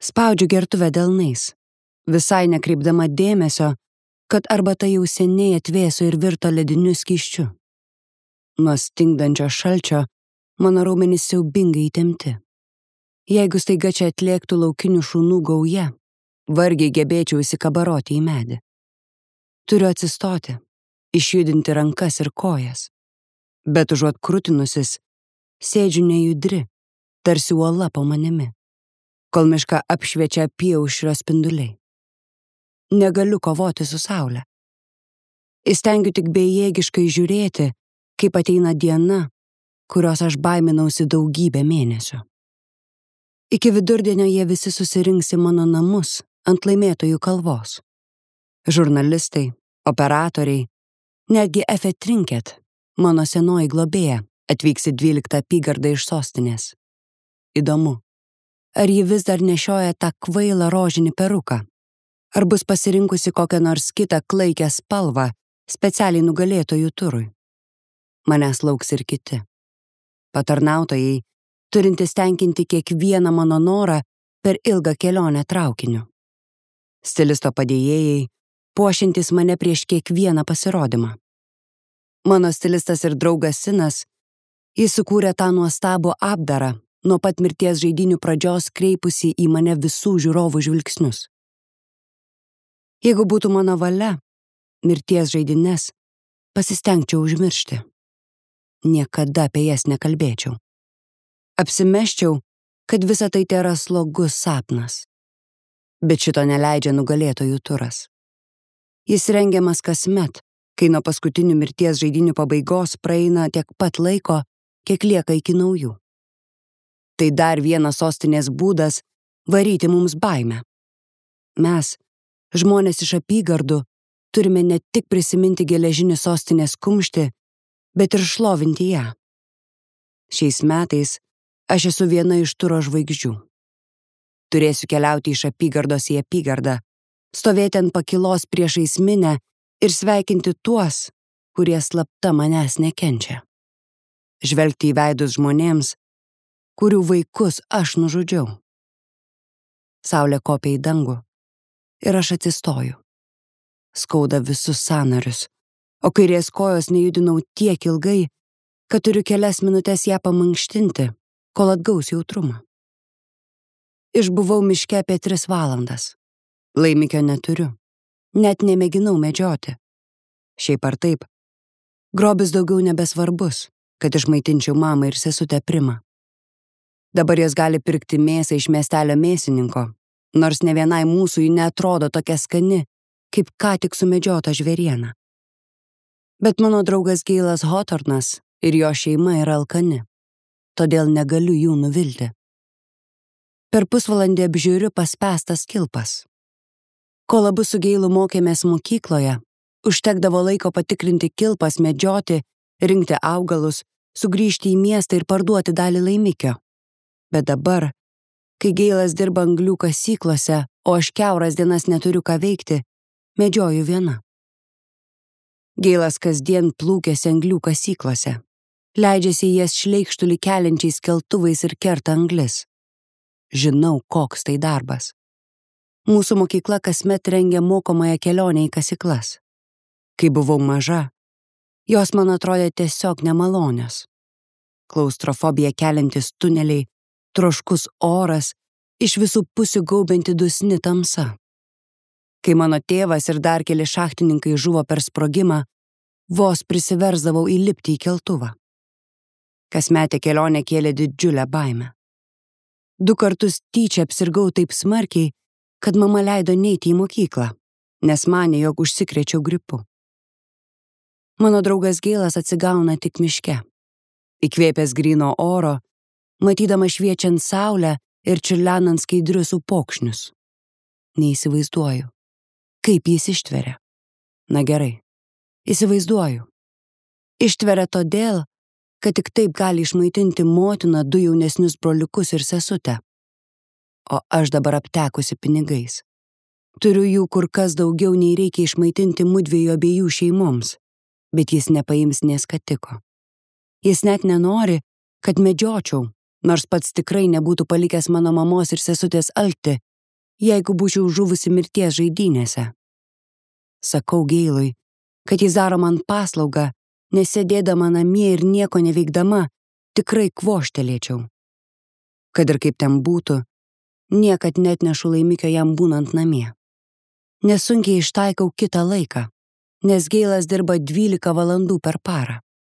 Spaudžiu gertuvę delnais, visai nekreipdama dėmesio, kad arbata jau seniai atvėso ir virto lediniu skysčiu. Nuo stingdančio šalčio mano raumenys siaubingai įtempti. Jeigu staiga čia atlėktų laukinių šunų gauja, vargiai gebėčiau įsikabaroti į medį. Turiu atsistoti, išjudinti rankas ir kojas, bet užuot krutinusis, sėdžiu nejudri, tarsi uola po manimi, kol mišką apšviečia apyaušrio spinduliai. Negaliu kovoti su saule. Įstengiu tik bejėgiškai žiūrėti, kaip ateina diena, kurios aš baiminausi daugybę mėnesių. Iki vidurdienio jie visi susirinks į mano namus ant laimėtojų kalvos. Žurnalistai, operatoriai, netgi Efe Trinket, mano senoji globėja, atvyks į 12 apygardą iš sostinės. Įdomu, ar ji vis dar nešioja tą kvailą rožinį peruką, ar bus pasirinkusi kokią nors kitą klaikę spalvą specialiai nugalėtojų turui. Manęs lauks ir kiti. Patarnautojai, turintys tenkinti kiekvieną mano norą per ilgą kelionę traukiniu. Stilisto padėjėjai, puošiantys mane prieš kiekvieną pasirodymą. Mano stilistas ir draugas Sinas, jis sukūrė tą nuostabų apdarą, nuo pat mirties žaidynių pradžios kreipusi į mane visų žiūrovų žvilgsnius. Jeigu būtų mano valia, mirties žaidynės pasistengčiau užmiršti. Niekada apie jas nekalbėčiau. Apsimesčiau, kad visa tai tėra slogus sapnas. Bet šito neleidžia nugalėtojų turas. Jis rengiamas kasmet, kai nuo paskutinių mirties žaidynių pabaigos praeina tiek pat laiko, kiek lieka iki naujų. Tai dar vienas sostinės būdas varyti mums baimę. Mes, žmonės iš apygardų, turime ne tik prisiminti geležinį sostinės kumštį, bet ir šlovinti ją. Šiais metais aš esu viena iš turo žvaigždžių. Turėsiu keliauti iš apygardos į apygardą, stovėti ant pakilos priešais minią ir sveikinti tuos, kurie slapta manęs nekenčia. Žvelgti į veidus žmonėms, kurių vaikus aš nužudžiau. Saulė kopia į dangų ir aš atsistoju. Skauda visus sąnarius, o kairės kojos nejudinau tiek ilgai, kad turiu kelias minutės ją pamankštinti, kol atgaus jautrumą. Išbuvau miške apie 3 valandas. Laimikio neturiu. Net nemėginau medžioti. Šiaip ar taip, grobis daugiau nebesvarbus, kad išmaitinčiau mamą ir sesutę Primą. Dabar jos gali pirkti mėsą iš miestelio mėsininko, nors ne vienai mūsų ji neatrodo tokia skani, kaip ką tik sumedžiota žvėriena. Bet mano draugas Geilas Hotornas ir jo šeima yra alkani, todėl negaliu jų nuvilti. Per pusvalandį apžiūriu paspęstas kilpas. Kol abu su Geilu mokėmės mokykloje, užtekdavo laiko patikrinti kilpas, medžioti, rinkti augalus, sugrįžti į miestą ir parduoti dalį laimikio. Bet dabar, kai Geilas dirba anglių kasyklose, o aš kiauras dienas neturiu ką veikti, medžioju viena. Geilas kasdien plūkėsi anglių kasyklose, leidžiasi į jas šleikštulį keliančiais keltuvais ir kerta anglis. Žinau, koks tai darbas. Mūsų mokykla kasmet rengia mokomąją kelionę į kasyklas. Kai buvau maža, jos man atrodė tiesiog nemalonios. Klaustrofobiją keliantis tuneliai, troškus oras, iš visų pusių gaubianti dusni tamsa. Kai mano tėvas ir dar keli šachtininkai žuvo per sprogimą, vos prisiversdavau įlipti į keltuvą. Kasmetė kelionė kėlė didžiulę baimę. 2 kartus tyčia apsirgau taip smarkiai, kad mama leido neiti į mokyklą, nes manė, jog užsikrėčiau gripu. Mano draugas Geilas atsigauna tik miške. Įkvėpęs gryno oro, matydama šviečiant saulę ir čiurlenant skaidrius upokšnius. Neįsivaizduoju, kaip jis ištveria. Na gerai, įsivaizduoju. Ištveria todėl, kad tik taip gali išmaitinti motiną, 2 jaunesnius broliukus ir sesutę. O aš dabar aptekusi pinigais. Turiu jų kur kas daugiau nei reikia išmaitinti mudviejų abiejų šeimoms, bet jis nepaims nė skatiko. Jis net nenori, kad medžiočiau, nors pats tikrai nebūtų palikęs mano mamos ir sesutės alkti, jeigu būčiau žuvusi mirties žaidynėse. Sakau Geilui, kad jis daro man paslaugą, nes sėdėdama namie ir nieko neveikdama, tikrai kvoštelėčiau. Kad ir kaip ten būtų, niekad netnešu laimikio jam būnant namie. Nesunkiai ištaikau kitą laiką, nes Geilas dirba 12 valandų per parą.